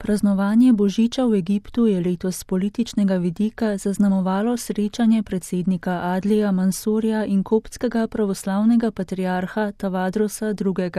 Praznovanje božiča v Egiptu je letos s političnega vidika zaznamovalo srečanje predsednika Adlija Mansurja in koptskega pravoslavnega patriarha Tavadrosa II.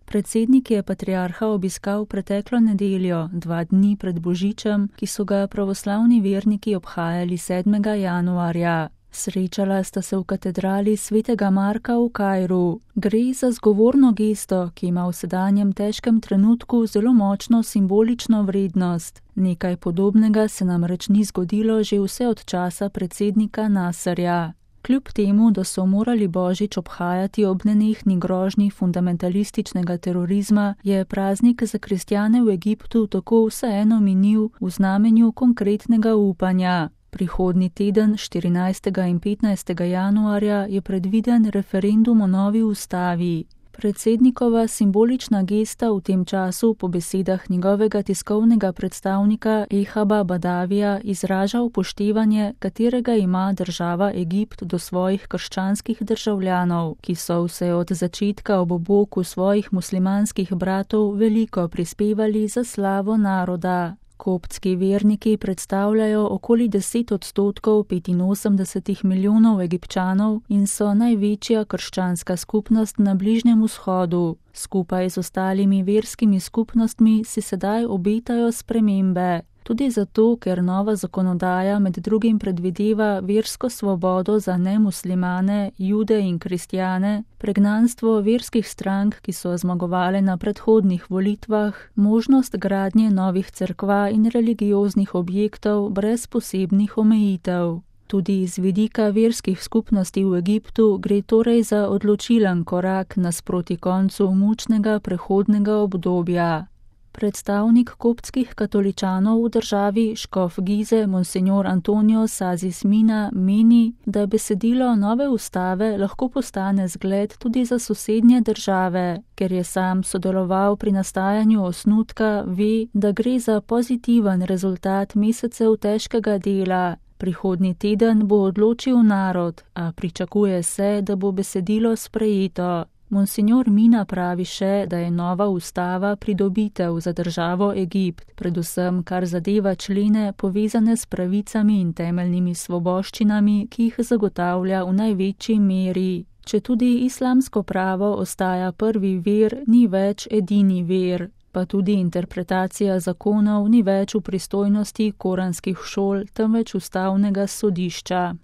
Predsednik je patriarha obiskal preteklo nedeljo, 2 dni pred božičem, ki so ga pravoslavni verniki obhajali 7. januarja. Srečala sta se v katedrali svetega Marka v Kairu. Gre za zgovorno gesto, ki ima v sedanjem težkem trenutku zelo močno simbolično vrednost. Nekaj podobnega se namreč ni zgodilo že vse od časa predsednika Nasserja. Kljub temu, da so morali božič obhajati ob nenehni grožnji fundamentalističnega terorizma, je praznik za kristjane v Egiptu tako vseeno minil v znamenju konkretnega upanja. Prihodnji teden, 14. in 15. januarja, je predviden referendum o novi ustavi. Predsednikova simbolična gesta v tem času po besedah njegovega tiskovnega predstavnika Ehaba Badavija izraža upoštevanje, katerega ima država Egipt do svojih krščanskih državljanov, ki so vse od začetka ob boku svojih muslimanskih bratov veliko prispevali za slavo naroda. Koptski verniki predstavljajo okoli 10% 85 milijonov Egipčanov in so največja krščanska skupnost na Bližnjem vzhodu. Skupaj z ostalimi verskimi skupnostmi si sedaj obetajo spremembe. Tudi zato, ker nova zakonodaja med drugim predvideva versko svobodo za nemuslimane, jude in kristjane, pregnanstvo verskih strank, ki so zmagovale na predhodnih volitvah, možnost gradnje novih cerkva in religioznih objektov brez posebnih omejitev. Tudi iz vidika verskih skupnosti v Egiptu gre torej za odločilen korak nasproti koncu mučnega prehodnega obdobja. Predstavnik koptskih katoličanov v državi, škof Gize, monsenjor Antonio Sazis Mina, meni, da besedilo nove ustave lahko postane zgled tudi za sosednje države. Ker je sam sodeloval pri nastajanju osnutka, ve, da gre za pozitiven rezultat mesecev težkega dela. Prihodnji teden bo odločil narod, a pričakuje se, da bo besedilo sprejeto. Monsenjor Mina pravi še, da je nova ustava pridobitev za državo Egipt, predvsem kar zadeva člene povezane s pravicami in temeljnimi svoboščinami, ki jih zagotavlja v največji meri. Četudi islamsko pravo ostaja prvi vir, ni več edini vir, pa tudi interpretacija zakonov ni več v pristojnosti koranskih šol, temveč ustavnega sodišča.